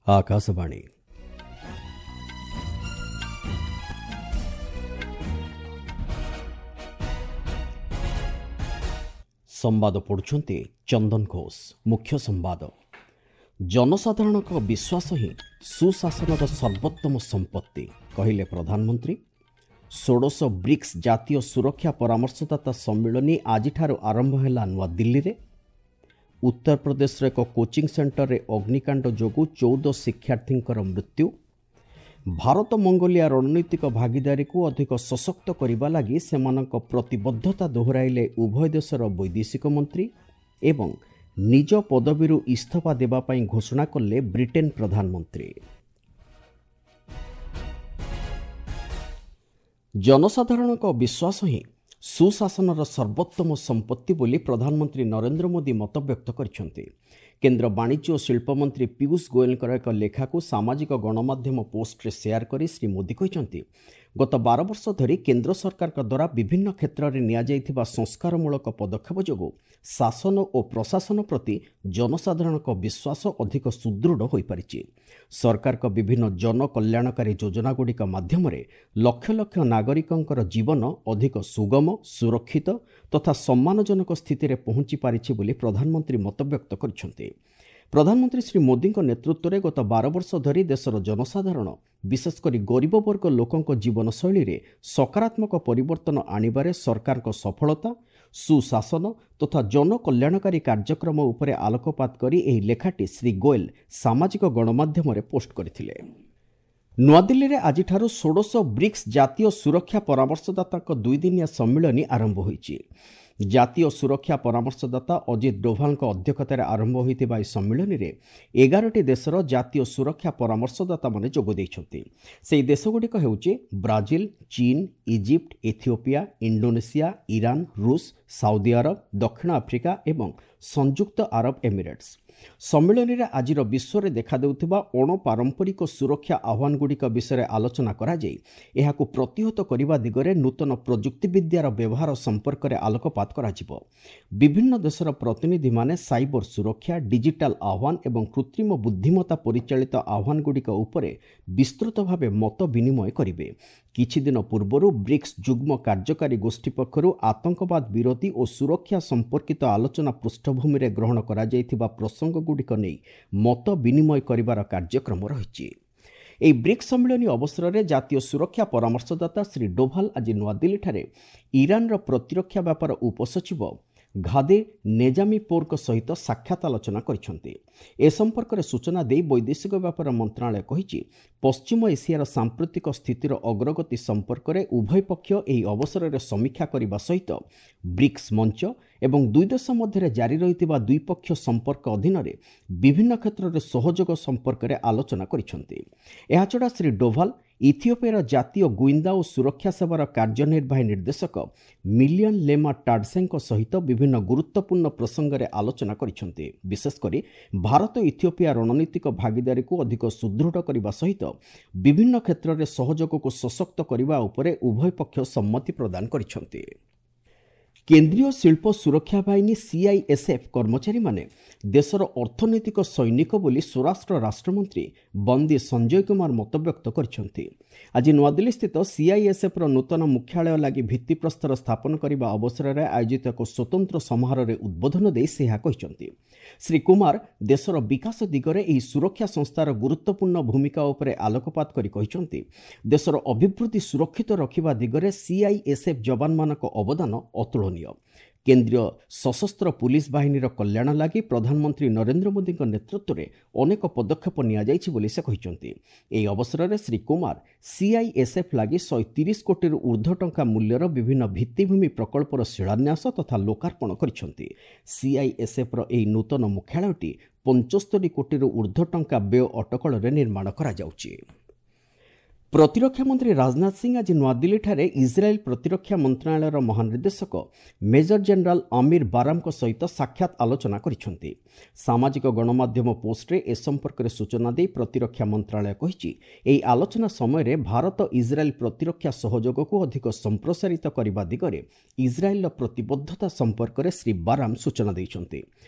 ଆକାଶବାଣୀ। ସମ୍ବାଦ ପଢ଼ୁଛନ୍ତି ଚନ୍ଦନ ଘୋଷ। ମୁଖ୍ୟ ସମ୍ବାଦ। ଜନସାଧାରଣଙ୍କ ବିଶ୍ୱାସ ହିଁ ସୁଶାସନର ସର୍ବୋତ୍ତମ ସମ୍ପତ୍ତି, କହିଲେ ପ୍ରଧାନମନ୍ତ୍ରୀ। ଷୋଡ଼ଶ ବ୍ରିକ୍ସ ଜାତୀୟ ସୁରକ୍ଷା ପରାମର୍ଶଦାତା ସମ୍ମିଳନୀ ଆଜିଠାରୁ ଆରମ୍ଭ ହେଲା ନୂଆଦିଲ୍ଲୀରେ। ଉତ୍ତରପ୍ରଦେଶର ଏକ କୋଚିଂ ସେଣ୍ଟରରେ ଅଗ୍ନିକାଣ୍ଡ ଯୋଗୁଁ 14 ଶିକ୍ଷାର୍ଥୀଙ୍କର ମୃତ୍ୟୁ। ଭାରତ ମଙ୍ଗୋଲିଆ ରଣନୀତିକ ଭାଗିଦାରୀକୁ ଅଧିକ ସଶକ୍ତ କରିବା ଲାଗି ସେମାନଙ୍କ ପ୍ରତିବଦ୍ଧତା ଦୋହରାଇଲେ ଉଭୟ ଦେଶର ବୈଦେଶିକ ମନ୍ତ୍ରୀ। ଏବଂ ନିଜ ପଦବୀରୁ ଇସ୍ତଫା ଦେବା ପାଇଁ ଘୋଷଣା କଲେ ବ୍ରିଟେନ ପ୍ରଧାନମନ୍ତ୍ରୀ। ଜନସାଧାରଣଙ୍କ ବିଶ୍ୱାସ ହିଁ ସୁଶାସନର ସର୍ବୋତ୍ତମ ସମ୍ପତ୍ତି ବୋଲି ପ୍ରଧାନମନ୍ତ୍ରୀ ନରେନ୍ଦ୍ର ମୋଦି ମତବ୍ୟକ୍ତ କରିଛନ୍ତି। କେନ୍ଦ୍ର ବାଣିଜ୍ୟ ଓ ଶିଳ୍ପମନ୍ତ୍ରୀ ପୀୟୁଷ ଗୋଏଲଙ୍କର ଏକ ଲେଖାକୁ ସାମାଜିକ ଗଣମାଧ୍ୟମ ପୋଷ୍ଟରେ ସେୟାର କରି ଶ୍ରୀ ମୋଦି କହିଛନ୍ତି, ଗତ 12 ବର୍ଷ ଧରି କେନ୍ଦ୍ର ସରକାରଙ୍କ ଦ୍ୱାରା ବିଭିନ୍ନ କ୍ଷେତ୍ରରେ ନିଆଯାଇଥିବା ସଂସ୍କାରମୂଳକ ପଦକ୍ଷେପ ଯୋଗୁଁ ଶାସନ ଓ ପ୍ରଶାସନ ପ୍ରତି ଜନସାଧାରଣଙ୍କ ବିଶ୍ୱାସ ଅଧିକ ସୁଦୃଢ଼ ହୋଇପାରିଛି। ସରକାରଙ୍କ ବିଭିନ୍ନ ଜନକଲ୍ୟାଣକାରୀ ଯୋଜନାଗୁଡ଼ିକ ମାଧ୍ୟମରେ ଲକ୍ଷ ଲକ୍ଷ ନାଗରିକଙ୍କର ଜୀବନ ଅଧିକ ସୁଗମ, ସୁରକ୍ଷିତ ତଥା ସମ୍ମାନଜନକ ସ୍ଥିତିରେ ପହଞ୍ଚି ପାରିଛି ବୋଲି ପ୍ରଧାନମନ୍ତ୍ରୀ ମତବ୍ୟକ୍ତ କରିଛନ୍ତି। ପ୍ରଧାନମନ୍ତ୍ରୀ ଶ୍ରୀ ମୋଦିଙ୍କ ନେତୃତ୍ୱରେ ଗତ 12 ବର୍ଷ ଧରି ଦେଶର ଜନସାଧାରଣ, ବିଶେଷ କରି ଗରିବ ବର୍ଗ ଲୋକଙ୍କ ଜୀବନଶୈଳୀରେ ସକାରାତ୍ମକ ପରିବର୍ତ୍ତନ ଆଣିବାରେ ସରକାରଙ୍କ ସଫଳତା, ସୁଶାସନ ତଥା ଜନକଲ୍ୟାଣକାରୀ କାର୍ଯ୍ୟକ୍ରମ ଉପରେ ଆଲୋକପାତ କରି ଏହି ଲେଖାଟି ଶ୍ରୀ ଗୋଏଲ ସାମାଜିକ ଗଣମାଧ୍ୟମରେ ପୋଷ୍ଟ କରିଥିଲେ। ନୂଆଦିଲ୍ଲୀରେ ଆଜିଠାରୁ ଷୋଡ଼ଶ ବ୍ରିକ୍ସ ଜାତୀୟ ସୁରକ୍ଷା ପରାମର୍ଶଦାତାଙ୍କ ଦୁଇଦିନିଆ ସମ୍ମିଳନୀ ଆରମ୍ଭ ହୋଇଛି। ଜାତୀୟ ସୁରକ୍ଷା ପରାମର୍ଶଦାତା ଅଜିତ ଡୋଭାଲଙ୍କ ଅଧ୍ୟକ୍ଷତାରେ ଆରମ୍ଭ ହୋଇଥିବା ଏହି ସମ୍ମିଳନୀରେ 11ଟି ଦେଶର ଜାତୀୟ ସୁରକ୍ଷା ପରାମର୍ଶଦାତାମାନେ ଯୋଗ ଦେଇଛନ୍ତି। ସେହି ଦେଶଗୁଡ଼ିକ ହେଉଛି ବ୍ରାଜିଲ, ଚୀନ, ଇଜିପ୍ଟ, ଏଥିଓପିଆ, ଇଣ୍ଡୋନେସିଆ, ଇରାନ, ରୁଷ, ସାଉଦି ଆରବ, ଦକ୍ଷିଣ ଆଫ୍ରିକା ଏବଂ ସଂଯୁକ୍ତ ଆରବ ଏମିରେଟ୍ସ। ସମ୍ମିଳନୀରେ ଆଜିର ବିଶ୍ୱରେ ଦେଖାଦେଉଥିବା ଅଣପାରମ୍ପରିକ ସୁରକ୍ଷା ଆହ୍ୱାନଗୁଡ଼ିକ ବିଷୟରେ ଆଲୋଚନା କରାଯାଇ ଏହାକୁ ପ୍ରତିହତ କରିବା ଦିଗରେ ନୂତନ ପ୍ରଯୁକ୍ତିବିଦ୍ୟାର ବ୍ୟବହାର ସମ୍ପର୍କରେ ଆଲୋକପାତ କରାଯିବ। ବିଭିନ୍ନ ଦେଶର ପ୍ରତିନିଧିମାନେ ସାଇବର ସୁରକ୍ଷା, ଡିଜିଟାଲ ଆହ୍ୱାନ ଏବଂ କୃତ୍ରିମ ବୁଦ୍ଧିମତ୍ତା ପରିଚାଳିତ ଆହ୍ୱାନଗୁଡ଼ିକ ଉପରେ ବିସ୍ତୃତ ଭାବେ ମତ ବିନିମୟ କରିବେ। କିଛିଦିନ ପୂର୍ବରୁ ବ୍ରିକ୍ସ ଯୁଗ୍ମ କାର୍ଯ୍ୟକାରୀ ଗୋଷ୍ଠୀ ପକ୍ଷରୁ ଆତଙ୍କବାଦ ବିରୋଧୀ ଓ ସୁରକ୍ଷା ସମ୍ପର୍କିତ ଆଲୋଚନା ପୃଷ୍ଠଭୂମିରେ ଗ୍ରହଣ କରାଯାଇଥିବା ପ୍ରସଙ୍ଗଗୁଡ଼ିକ ନେଇ ମତ ବିନିମୟ କରିବାର କାର୍ଯ୍ୟକ୍ରମ ରହିଛି। ଏହି ବ୍ରିକ୍ସ ସମ୍ମିଳନୀ ଅବସରରେ ଜାତୀୟ ସୁରକ୍ଷା ପରାମର୍ଶଦାତା ଶ୍ରୀ ଡୋଭାଲ ଆଜି ନୂଆଦିଲ୍ଲୀଠାରେ ଇରାନର ପ୍ରତିରକ୍ଷା ବ୍ୟାପାର ଉପସଚିବ ଘାଦେ ନେଜାମିପୋରଙ୍କ ସହିତ ସାକ୍ଷାତ ଆଲୋଚନା କରିଛନ୍ତି। ଏ ସମ୍ପର୍କରେ ସୂଚନା ଦେଇ ବୈଦେଶିକ ବ୍ୟାପାର ମନ୍ତ୍ରଣାଳୟ କହିଛି, ପଶ୍ଚିମ ଏସିଆର ସାମ୍ପ୍ରତିକ ସ୍ଥିତିର ଅଗ୍ରଗତି ସମ୍ପର୍କରେ ଉଭୟ ପକ୍ଷ ଏହି ଅବସରରେ ସମୀକ୍ଷା କରିବା ସହିତ ବ୍ରିକ୍ସ ମଞ୍ଚ ଏବଂ ଦୁଇ ଦେଶ ମଧ୍ୟରେ ଜାରି ରହିଥିବା ଦ୍ୱିପକ୍ଷୀୟ ସମ୍ପର୍କ ଅଧୀନରେ ବିଭିନ୍ନ କ୍ଷେତ୍ରରେ ସହଯୋଗ ସମ୍ପର୍କରେ ଆଲୋଚନା କରିଛନ୍ତି। ଏହାଛଡ଼ା ଶ୍ରୀ ଡୋଭାଲ ଇଥିଓପିଆର ଜାତୀୟ ଗୁଇନ୍ଦା ଓ ସୁରକ୍ଷା ସେବାର କାର୍ଯ୍ୟନିର୍ବାହୀ ନିର୍ଦ୍ଦେଶକ ମିଲିୟନ ଲେମା ଟାଡସେଙ୍କ ସହିତ ବିଭିନ୍ନ ଗୁରୁତ୍ୱପୂର୍ଣ୍ଣ ପ୍ରସଙ୍ଗରେ ଆଲୋଚନା କରିଛନ୍ତି। ବିଶେଷ କରି ଭାରତ ଇଥିଓପିଆ ରଣନୀତିକ ଭାଗିଦାରୀକୁ ଅଧିକ ସୁଦୃଢ଼ କରିବା ସହିତ ବିଭିନ୍ନ କ୍ଷେତ୍ରରେ ସହଯୋଗକୁ ସଶକ୍ତ କରିବା ଉପରେ ଉଭୟ ପକ୍ଷ ସମ୍ମତି ପ୍ରଦାନ କରିଛନ୍ତି। କେନ୍ଦ୍ରୀୟ ଶିଳ୍ପ ସୁରକ୍ଷା ବାହିନୀ ସିଆଇଏସ୍ଏଫ୍ କର୍ମଚାରୀମାନେ ଦେଶର ଅର୍ଥନୈତିକ ସୈନିକ ବୋଲି ସ୍ୱରାଷ୍ଟ୍ର ରାଷ୍ଟ୍ରମନ୍ତ୍ରୀ ବନ୍ଦୀ ସଞ୍ଜୟ କୁମାର ମତବ୍ୟକ୍ତ କରିଛନ୍ତି। ଆଜି ନୂଆଦିଲ୍ଲୀସ୍ଥିତ ସିଆଇଏସ୍ଏଫ୍ର ନୂତନ ମୁଖ୍ୟାଳୟ ଲାଗି ଭିତ୍ତିପ୍ରସ୍ତର ସ୍ଥାପନ କରିବା ଅବସରରେ ଆୟୋଜିତ ଏକ ସ୍ୱତନ୍ତ୍ର ସମାରୋହରେ ଉଦ୍ବୋଧନ ଦେଇ ସେ ଏହା କହିଛନ୍ତି। ଶ୍ରୀ କୁମାର ଦେଶର ବିକାଶ ଦିଗରେ ଏହି ସୁରକ୍ଷା ସଂସ୍ଥାର ଗୁରୁତ୍ୱପୂର୍ଣ୍ଣ ଭୂମିକା ଉପରେ ଆଲୋକପାତ କରି କହିଛନ୍ତି, ଦେଶର ଅଭିବୃଦ୍ଧି ସୁରକ୍ଷିତ ରଖିବା ଦିଗରେ ସିଆଇଏସ୍ଏଫ୍ ଯବାନମାନଙ୍କ ଅବଦାନ ଅତୁଳନୀୟ। କେନ୍ଦ୍ରୀୟ ସଶସ୍ତ୍ର ପୁଲିସ ବାହିନୀର କଲ୍ୟାଣ ଲାଗି ପ୍ରଧାନମନ୍ତ୍ରୀ ନରେନ୍ଦ୍ର ମୋଦିଙ୍କ ନେତୃତ୍ୱରେ ଅନେକ ପଦକ୍ଷେପ ନିଆଯାଇଛି ବୋଲି ସେ କହିଛନ୍ତି। ଏହି ଅବସରରେ ଶ୍ରୀ କୁମାର ସିଆଇଏସ୍ଏଫ୍ ଲାଗି 130 କୋଟିରୁ ଉର୍ଦ୍ଧ୍ୱ ଟଙ୍କା ମୂଲ୍ୟର ବିଭିନ୍ନ ଭିତ୍ତିଭୂମି ପ୍ରକଳ୍ପର ଶିଳାନ୍ୟାସ ତଥା ଲୋକାର୍ପଣ କରିଛନ୍ତି। ସିଆଇଏସ୍ଏଫ୍ର ଏହି ନୂତନ ମୁଖ୍ୟାଳୟଟି 75 କୋଟିରୁ ଉର୍ଦ୍ଧ୍ୱ ଟଙ୍କା ବ୍ୟୟ ଅଟକଳରେ ନିର୍ମାଣ କରାଯାଉଛି। ପ୍ରତିରକ୍ଷା ମନ୍ତ୍ରୀ ରାଜନାଥ ସିଂ ଆଜି ନୂଆଦିଲ୍ଲୀଠାରେ ଇସ୍ରାଏଲ୍ ପ୍ରତିରକ୍ଷା ମନ୍ତ୍ରଣାଳୟର ମହାନିର୍ଦ୍ଦେଶକ ମେଜର ଜେନେରାଲ ଅମିର ବାରାମଙ୍କ ସହିତ ସାକ୍ଷାତ ଆଲୋଚନା କରିଛନ୍ତି। ସାମାଜିକ ଗଣମାଧ୍ୟମ ପୋଷ୍ଟରେ ଏ ସମ୍ପର୍କରେ ସୂଚନା ଦେଇ ପ୍ରତିରକ୍ଷା ମନ୍ତ୍ରଣାଳୟ କହିଛି, ଏହି ଆଲୋଚନା ସମୟରେ ଭାରତ ଇସ୍ରାଏଲ୍ ପ୍ରତିରକ୍ଷା ସହଯୋଗକୁ ଅଧିକ ସମ୍ପ୍ରସାରିତ କରିବା ଦିଗରେ ଇସ୍ରାଏଲ୍ର ପ୍ରତିବଦ୍ଧତା ସମ୍ପର୍କରେ ଶ୍ରୀ ବାରାମ ସୂଚନା ଦେଇଛନ୍ତି।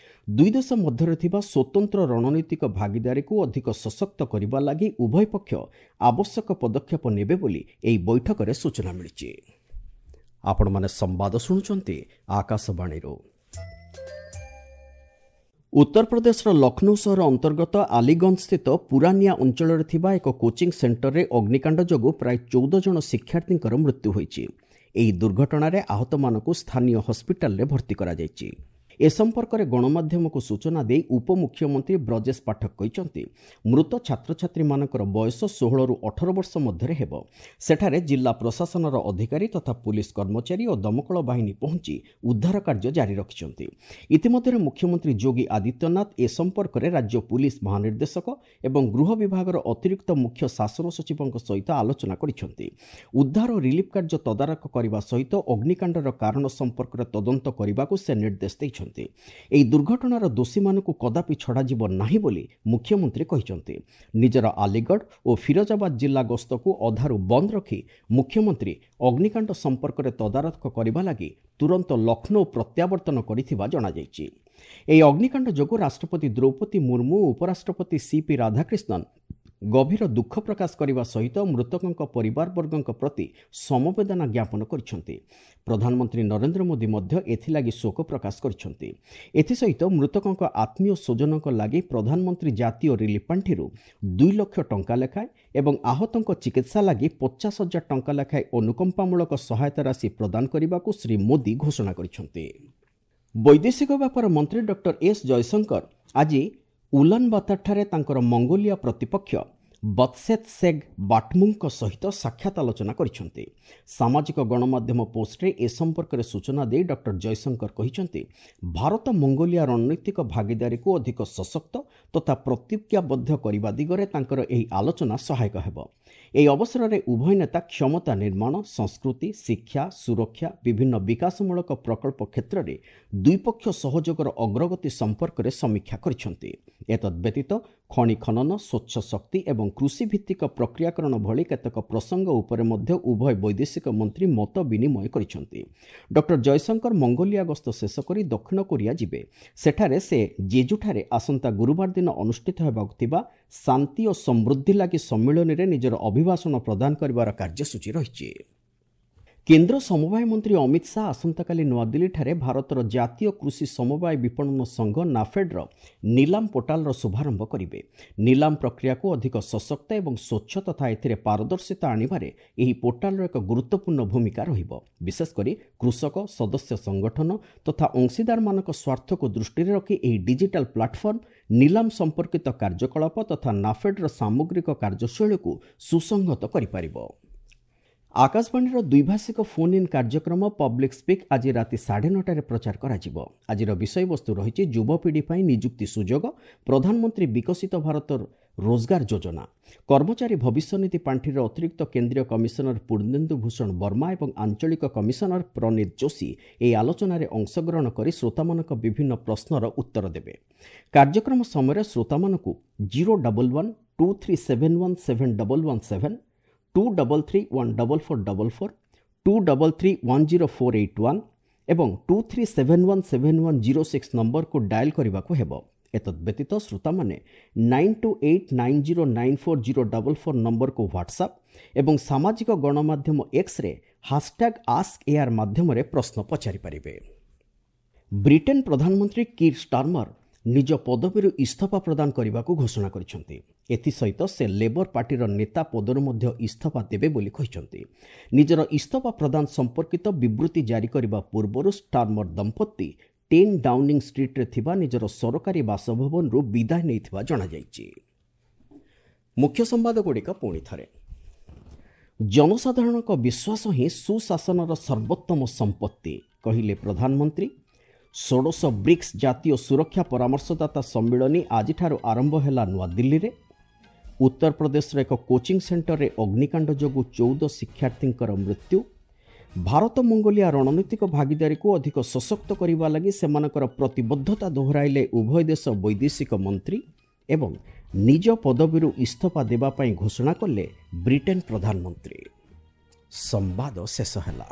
ଦୁଇ ଦେଶ ମଧ୍ୟରେ ଥିବା ସ୍ୱତନ୍ତ୍ର ରଣନୈତିକ ଭାଗିଦାରୀକୁ ଅଧିକ ସଶକ୍ତ କରିବା ଲାଗି ଉଭୟ ପକ୍ଷ ଆବଶ୍ୟକ ପଦକ୍ଷେପ ନେବେ ବୋଲି ଏହି ବୈଠକରେ ସୂଚନା ମିଳିଛି। ଆପଣମାନେ ସମ୍ବାଦ ଶୁଣୁଛନ୍ତି ଆକାଶବାଣୀରୁ। ଉତ୍ତରପ୍ରଦେଶର ଲକ୍ଷ୍ନୌ ସହର ଅନ୍ତର୍ଗତ ଆଲିଗଞ୍ଜସ୍ଥିତ ପୁରାନିଆ ଅଞ୍ଚଳରେ ଥିବା ଏକ କୋଚିଂ ସେଣ୍ଟରରେ ଅଗ୍ନିକାଣ୍ଡ ଯୋଗୁଁ ପ୍ରାୟ 14 ଜଣ ଶିକ୍ଷାର୍ଥୀଙ୍କର ମୃତ୍ୟୁ ହୋଇଛି। ଏହି ଦୁର୍ଘଟଣାରେ ଆହତମାନଙ୍କୁ ସ୍ଥାନୀୟ ହସ୍ପିଟାଲରେ ଭର୍ତ୍ତି କରାଯାଇଛି। ଏ ସମ୍ପର୍କରେ ଗଣମାଧ୍ୟମକୁ ସୂଚନା ଦେଇ ଉପମୁଖ୍ୟମନ୍ତ୍ରୀ ବ୍ରଜେଶ ପାଠକ କହିଛନ୍ତି, ମୃତ ଛାତ୍ରଛାତ୍ରୀମାନଙ୍କର ବୟସ 16ରୁ 18 ବର୍ଷ ମଧ୍ୟରେ ହେବ। ସେଠାରେ ଜିଲ୍ଲା ପ୍ରଶାସନର ଅଧିକାରୀ ତଥା ପୁଲିସ କର୍ମଚାରୀ ଓ ଦମକଳ ବାହିନୀ ପହଞ୍ଚି ଉଦ୍ଧାର କାର୍ଯ୍ୟ ଜାରି ରଖିଛନ୍ତି। ଇତିମଧ୍ୟରେ ମୁଖ୍ୟମନ୍ତ୍ରୀ ଯୋଗୀ ଆଦିତ୍ୟନାଥ ଏ ସମ୍ପର୍କରେ ରାଜ୍ୟ ପୁଲିସ ମହାନିର୍ଦ୍ଦେଶକ ଏବଂ ଗୃହ ବିଭାଗର ଅତିରିକ୍ତ ମୁଖ୍ୟ ଶାସନ ସଚିବଙ୍କ ସହିତ ଆଲୋଚନା କରିଛନ୍ତି। ଉଦ୍ଧାର ଓ ରିଲିଫ୍ କାର୍ଯ୍ୟ ତଦାରଖ କରିବା ସହିତ ଅଗ୍ନିକାଣ୍ଡର କାରଣ ସମ୍ପର୍କରେ ତଦନ୍ତ କରିବାକୁ ସେ ନିର୍ଦ୍ଦେଶ ଦେଇଛନ୍ତି। ଏହି ଦୁର୍ଘଟଣାର ଦୋଷୀମାନଙ୍କୁ କଦାପି ଛଡ଼ାଯିବ ନାହିଁ ବୋଲି ମୁଖ୍ୟମନ୍ତ୍ରୀ କହିଛନ୍ତି। ନିଜର ଆଲିଗଡ଼ ଓ ଫିରୋଜାବାଦ ଜିଲ୍ଲା ଗସ୍ତକୁ ଅଧାରୁ ବନ୍ଦ ରଖି ମୁଖ୍ୟମନ୍ତ୍ରୀ ଅଗ୍ନିକାଣ୍ଡ ସମ୍ପର୍କରେ ତଦାରଖ କରିବା ଲାଗି ତୁରନ୍ତ ଲକ୍ଷ୍ନୌ ପ୍ରତ୍ୟାବର୍ତ୍ତନ କରିଥିବା ଜଣାଯାଇଛି। ଏହି ଅଗ୍ନିକାଣ୍ଡ ଯୋଗୁଁ ରାଷ୍ଟ୍ରପତି ଦ୍ରୌପଦୀ ମୁର୍ମୁ ଓ ଉପରାଷ୍ଟ୍ରପତି ସିପି ରାଧାକ୍ରିଷ୍ଣନ ଗଭୀର ଦୁଃଖ ପ୍ରକାଶ କରିବା ସହିତ ମୃତକଙ୍କ ପରିବାରବର୍ଗଙ୍କ ପ୍ରତି ସମବେଦନା ଜ୍ଞାପନ କରିଛନ୍ତି। ପ୍ରଧାନମନ୍ତ୍ରୀ ନରେନ୍ଦ୍ର ମୋଦି ମଧ୍ୟ ଏଥିଲାଗି ଶୋକ ପ୍ରକାଶ କରିଛନ୍ତି। ଏଥିସହିତ ମୃତକଙ୍କ ଆତ୍ମୀୟ ସ୍ୱଜନଙ୍କ ଲାଗି ପ୍ରଧାନମନ୍ତ୍ରୀ ଜାତୀୟ ରିଲିଫ୍ ପାଣ୍ଠିରୁ 2 ଲକ୍ଷ ଟଙ୍କା ଲେଖାଏଁ ଏବଂ ଆହତଙ୍କ ଚିକିତ୍ସା ଲାଗି 50 ହଜାର ଟଙ୍କା ଲେଖାଏଁ ଅନୁକମ୍ପାମୂଳକ ସହାୟତା ରାଶି ପ୍ରଦାନ କରିବାକୁ ଶ୍ରୀ ମୋଦି ଘୋଷଣା କରିଛନ୍ତି। ବୈଦେଶିକ ବ୍ୟାପାର ମନ୍ତ୍ରୀ ଡକ୍ଟର ଏସ୍ ଜୟଶଙ୍କର ଆଜି ଉଲାନବାତାରଠାରେ ତାଙ୍କର ମଙ୍ଗୋଲିଆ ପ୍ରତିପକ୍ଷ ବତ୍ସେତ୍ ସେଗ୍ ବାଟମୁଙ୍କ ସହିତ ସାକ୍ଷାତ ଆଲୋଚନା କରିଛନ୍ତି। ସାମାଜିକ ଗଣମାଧ୍ୟମ ପୋଷ୍ଟରେ ଏ ସମ୍ପର୍କରେ ସୂଚନା ଦେଇ ଡକ୍ଟର ଜୟଶଙ୍କର କହିଛନ୍ତି, ଭାରତ ମଙ୍ଗୋଲିଆ ରଣନୈତିକ ଭାଗିଦାରୀକୁ ଅଧିକ ସଶକ୍ତ ତଥା ପ୍ରତିଜ୍ଞାବଦ୍ଧ କରିବା ଦିଗରେ ତାଙ୍କର ଏହି ଆଲୋଚନା ସହାୟକ ହେବ। ଏହି ଅବସରରେ ଉଭୟ ନେତା କ୍ଷମତା ନିର୍ମାଣ, ସଂସ୍କୃତି, ଶିକ୍ଷା, ସୁରକ୍ଷା, ବିଭିନ୍ନ ବିକାଶମୂଳକ ପ୍ରକଳ୍ପ କ୍ଷେତ୍ରରେ ଦ୍ୱିପକ୍ଷ ସହଯୋଗର ଅଗ୍ରଗତି ସମ୍ପର୍କରେ ସମୀକ୍ଷା କରିଛନ୍ତି। ଏତଦ୍ବ୍ୟତୀତ ଖଣି ଖନନ, ସ୍ୱଚ୍ଛ ଶକ୍ତି ଏବଂ କୃଷିଭିତ୍ତିକ ପ୍ରକ୍ରିୟାକରଣ ଭଳି କେତେକ ପ୍ରସଙ୍ଗ ଉପରେ ମଧ୍ୟ ଉଭୟ ବୈଦେଶିକ ମନ୍ତ୍ରୀ ମତ ବିନିମୟ କରିଛନ୍ତି। ଡକ୍ଟର ଜୟଶଙ୍କର ମଙ୍ଗୋଲିଆ ଗସ୍ତ ଶେଷ କରି ଦକ୍ଷିଣ କୋରିଆ ଯିବେ। ସେଠାରେ ସେ ଜେଜୁଠାରେ ଆସନ୍ତା ଗୁରୁବାର ଦିନ ଅନୁଷ୍ଠିତ ହେବାକୁ ଥିବା ଶାନ୍ତି ଓ ସମୃଦ୍ଧି ଲାଗି ସମ୍ମିଳନୀରେ ନିଜର ଅଭିଭାଷଣ ପ୍ରଦାନ କରିବାର କାର୍ଯ୍ୟସୂଚୀ ରହିଛି। କେନ୍ଦ୍ର ସମବାୟ ମନ୍ତ୍ରୀ ଅମିତ ଶାହା ଆସନ୍ତାକାଲି ନୂଆଦିଲ୍ଲୀଠାରେ ଭାରତର ଜାତୀୟ କୃଷି ସମବାୟ ବିପଣନ ସଂଘ ନାଫେଡ୍ର ନିଲାମ ପୋର୍ଟାଲର ଶୁଭାରମ୍ଭ କରିବେ। ନିଲାମ ପ୍ରକ୍ରିୟାକୁ ଅଧିକ ସଶକ୍ତ ଏବଂ ସ୍ୱଚ୍ଛ ତଥା ଏଥିରେ ପାରଦର୍ଶିତା ଆଣିବାରେ ଏହି ପୋର୍ଟାଲର ଏକ ଗୁରୁତ୍ୱପୂର୍ଣ୍ଣ ଭୂମିକା ରହିବ। ବିଶେଷକରି କୃଷକ, ସଦସ୍ୟ ସଂଗଠନ ତଥା ଅଂଶୀଦାରମାନଙ୍କ ସ୍ୱାର୍ଥକୁ ଦୃଷ୍ଟିରେ ରଖି ଏହି ଡିଜିଟାଲ ପ୍ଲାଟଫର୍ମ ନିଲାମ ସମ୍ପର୍କିତ କାର୍ଯ୍ୟକଳାପ ତଥା ନାଫେଡ୍ର ସାମଗ୍ରିକ କାର୍ଯ୍ୟଶୈଳୀକୁ ସୁସଂହତ କରିପାରିବ। ଆକାଶବାଣୀର ଦ୍ୱିଭାଷିକ ଫୋନ୍ ଇନ୍ କାର୍ଯ୍ୟକ୍ରମ ପବ୍ଲିକ୍ ସ୍ପିକ୍ ଆଜି ରାତି 9:30ରେ ପ୍ରଚାର କରାଯିବ। ଆଜିର ବିଷୟବସ୍ତୁ ରହିଛି ଯୁବପିଢ଼ି ପାଇଁ ନିଯୁକ୍ତି ସୁଯୋଗ, ପ୍ରଧାନମନ୍ତ୍ରୀ ବିକଶିତ ଭାରତ ରୋଜଗାର ଯୋଜନା। କର୍ମଚାରୀ ଭବିଷ୍ୟନିଧି ପାଣ୍ଠିର ଅତିରିକ୍ତ କେନ୍ଦ୍ରୀୟ କମିଶନର ପୂର୍ଣ୍ଣେନ୍ଦୁ ଭୂଷଣ ବର୍ମା ଏବଂ ଆଞ୍ଚଳିକ କମିଶନର ପ୍ରନୀତ ଯୋଶୀ ଏହି ଆଲୋଚନାରେ ଅଂଶଗ୍ରହଣ କରି ଶ୍ରୋତାମାନଙ୍କ ବିଭିନ୍ନ ପ୍ରଶ୍ନର ଉତ୍ତର ଦେବେ। କାର୍ଯ୍ୟକ୍ରମ ସମୟରେ ଶ୍ରୋତାମାନଙ୍କୁ 011 2371 7117, 233 14444, 233 10481 ଏବଂ 2371 7106 ନମ୍ବରକୁ ଡାଏଲ୍ କରିବାକୁ ହେବ। ଏତଦ୍ବ୍ୟତୀତ ଶ୍ରୋତାମାନେ 9289094044 ନମ୍ବରକୁ ହ୍ୱାଟ୍ସଆପ୍ ଏବଂ ସାମାଜିକ ଗଣମାଧ୍ୟମ ଏକ୍ସରେ ହାସଟ୍ୟାଗ୍ ଆସ୍କ ଏଆର୍ ମାଧ୍ୟମରେ ପ୍ରଶ୍ନ ପଚାରିପାରିବେ। ବ୍ରିଟେନ୍ ପ୍ରଧାନମନ୍ତ୍ରୀ କିର୍ ଷ୍ଟାର୍ମର ନିଜ ପଦବୀରୁ ଇସ୍ତଫା ପ୍ରଦାନ କରିବାକୁ ଘୋଷଣା କରିଛନ୍ତି। ଏଥିସହିତ ସେ ଲେବର ପାର୍ଟିର ନେତା ପଦରୁ ମଧ୍ୟ ଇସ୍ତଫା ଦେବେ ବୋଲି କହିଛନ୍ତି। ନିଜର ଇସ୍ତଫା ପ୍ରଦାନ ସମ୍ପର୍କିତ ବିବୃତ୍ତି ଜାରି କରିବା ପୂର୍ବରୁ ଷ୍ଟାର୍ମର ଦମ୍ପତି 10 ଡାଉନିଂ ଷ୍ଟ୍ରିଟ୍ରେ ଥିବା ନିଜର ସରକାରୀ ବାସଭବନରୁ ବିଦାୟ ନେଇଥିବା ଜଣାଯାଇଛି। ମୁଖ୍ୟ ସମ୍ବାଦଗୁଡ଼ିକ ପୁଣି ଥରେ। ଜନସାଧାରଣଙ୍କ ବିଶ୍ୱାସ ହିଁ ସୁଶାସନର ସର୍ବୋତ୍ତମ ସମ୍ପତ୍ତି, କହିଲେ ପ୍ରଧାନମନ୍ତ୍ରୀ। ଷୋଡ଼ଶ ବ୍ରିକ୍ସ ଜାତୀୟ ସୁରକ୍ଷା ପରାମର୍ଶଦାତା ସମ୍ମିଳନୀ ଆଜିଠାରୁ ଆରମ୍ଭ ହେଲା ନୂଆଦିଲ୍ଲୀରେ। ଉତ୍ତରପ୍ରଦେଶର ଏକ କୋଚିଂ ସେଣ୍ଟରରେ ଅଗ୍ନିକାଣ୍ଡ ଯୋଗୁଁ 14 ଶିକ୍ଷାର୍ଥୀଙ୍କର ମୃତ୍ୟୁ। ଭାରତ ମଙ୍ଗୋଲିଆ ରଣନୈତିକ ଭାଗିଦାରୀକୁ ଅଧିକ ସଶକ୍ତ କରିବା ଲାଗି ସେମାନଙ୍କର ପ୍ରତିବଦ୍ଧତା ଦୋହରାଇଲେ ଉଭୟ ଦେଶ ବୈଦେଶିକ ମନ୍ତ୍ରୀ ଏବଂ ନିଜ ପଦବୀରୁ ଇସ୍ତଫା ଦେବା ପାଇଁ ଘୋଷଣା କଲେ ବ୍ରିଟେନ୍ ପ୍ରଧାନମନ୍ତ୍ରୀ। ସମ୍ବାଦ ଶେଷ ହେଲା।